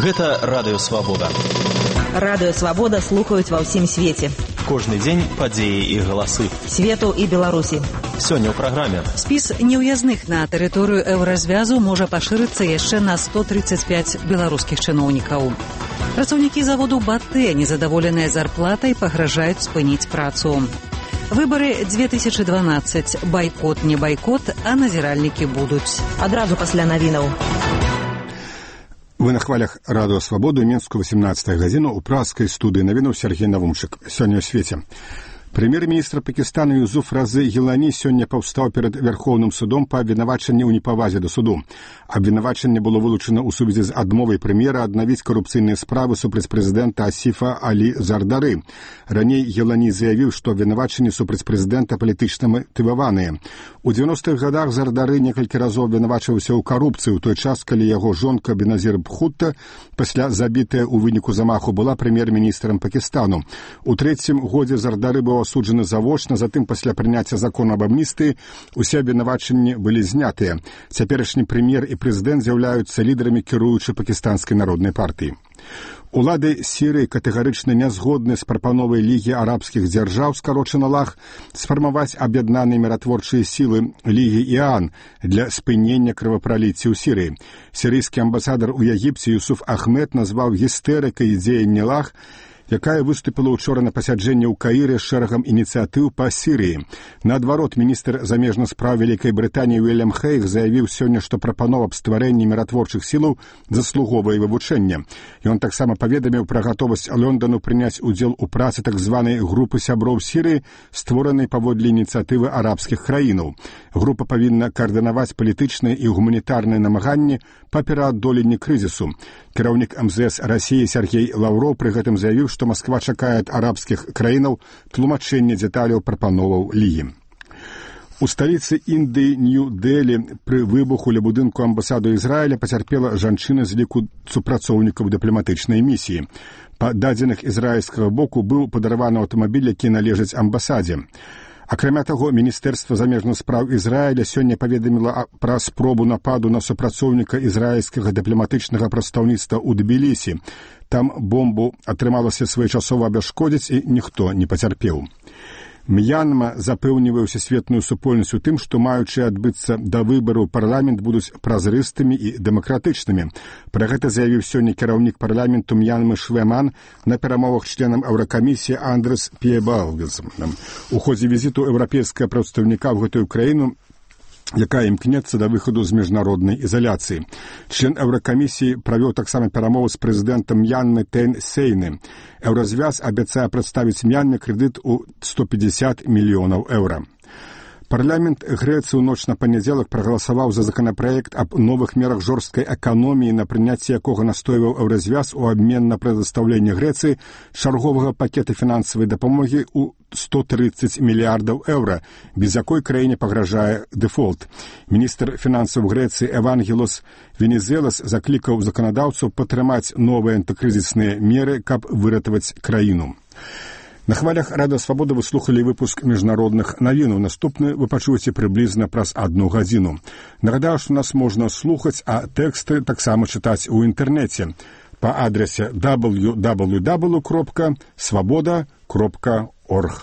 Гэта Радыё Свабода. Радыё Свабода слухаюць ва ўсім свеце. Кожны дзень падзеі і галасы. Свету і Беларусі. Сёння ў праграме. Спіс неўязных на тэрыторыю еўразвязу можа пашырыцца яшчэ на 135 беларускіх чыноўнікаў. Працаўнікі заводу «Батэ», незадаволеныя зарплатай, пагражаюць спыніць працу. Выбары 2012. Байкот, не байкот, а назіральнікі будуць. Адразу пасля навінаў. Вы на хвалях Радыё Свабоды, Мінску, 18 гадзіну, у праскай студыі навінаў Сергей Навумчык. Сёння ў свеце. Прэм'ер-міністр Пакістану Юсуф Разы Гілані сёння паўстаў перад Вярхоўным судом па абвінавачанні ў непавазе да суду. Абвінавачанне было вылучана ў сувязі з адмовай прэм'ера аднавіць карупцыйныя справы супраць прэзідэнта Асіфа Алі Зардары. Раней Гілані заявіў, што абвінавачанні супраць прэзідэнта палітычна матываваныя. У 90-х гадах Зардары некалькі разоў абвінавачваўся ў карупцыі, у той час, калі яго жонка Беназір Бхутта, пасля забітая ў выніку замаху, была прэм'ер-міністрам Пакістану. У трэцім годзе Зардары быў асуджаны завочна, затым пасля прыняцця закона аб амністыі усе абвінавачанні былі знятыя. Цяперашні прэм'ер і прэзідэнт з'яўляюцца лідарамі кіруючай пакістанскай народнай партыі. Улады Сірыі катэгарычна не згодны з прапановай Лігі арабскіх дзяржаў, скарочана ЛАГ, сфармаваць аб'яднаныя міратворчыя сілы Лігі ІАН для спынення крывапраліцця ў Сірыі. Сірыйскі амбасадар у Егіпце Юсуф Ахмед назваў гістэрыкай дзеянні ЛАГ, якая выступіла ўчора на пасяджэнні ў Каіры з шэрагам ініцыятыў па Сірыі. Наадварот, міністр замежных спраў Вялікай Брытаніі Уільям Хейг заявіў сёння, што прапанова аб стварэнні міратворчых сілаў заслуговае вывучэння. Ён таксама паведаміў пра гатовасць Лондану прыняць удзел у працы так званай групы сяброў Сірыі, створанай паводле ініцыятывы арабскіх краінаў. Група павінна каардынаваць палітычныя і гуманітарныя намаганні па пераадоленні крызісу. Кіраўнік МЗС Расіі Сергей Лаўроў пры гэтым заявіў, што Масква чакае ад арабскіх краінаў тлумачэння дзеталяў прапановаў Лігі. У сталіцы Індыі Нью-Дэлі пры выбуху ля будынку амбасаду Ізраіля пацярпела жанчына з ліку супрацоўнікаў дыпламатычнай місіі. Па дадзеных ізраільскага боку быў падарваны аўтамабіль, які належыць амбасадзе. Акрамя таго, Міністэрства замежных спраў Ізраіля сёння паведаміла пра спробу нападу на супрацоўніка ізраільскага дыпламатычнага прадстаўніцтва ў Тбілісі. Там бомбу атрымалася своечасова абясшкодзіць і ніхто не пацярпеў. М'янма запэўнівае сусветную супольнасць у тым, што маючы адбыцца да выбараў парламент будуць празрыстымі і дэмакратычнымі. Пра гэта заявіў сёння кіраўнік парламенту М'янмы Швеман на перамовах членам Еўракамісіі Андрес Піебалгес. У ходзе візіту еўрапейскага прадстаўніка ў гэтую краіну, якая імкнецца да выхаду з міжнароднай ізаляцыі. Член Еўракамісіі правёў таксама перамовы з прэзідэнтам М'янмы Тэн Сейны. Еўразвяз абяцае прадставіць М'янме крэдыт у 150 мільёнаў еўра. Парламент Грэцыі ў ноч на панядзелак прагаласаваў за законапраект аб новых мерах жорсткай эканоміі, на прыняцце якога настойваў Еўразвяз у абмен на прадастаўленне Грэцыі чарговага пакета фінансавай дапамогі ў 130 мільярдаў еўра, без якой краіне пагражае дэфолт. Міністр фінансаў Грэцыі Евангелос Венезелас заклікаў заканадаўцаў падтрымаць новыя антыкрызісныя меры, каб выратаваць краіну. На хвалях Радыё Свабода вы слухалі выпуск міжнародных навінаў. Наступны вы пачуеце прыблізна праз 1 гадзіну. Нагадаю, што нас можна слухаць, а тэксты таксама чытаць у інтэрнэце па адрасе www.swaboda.org.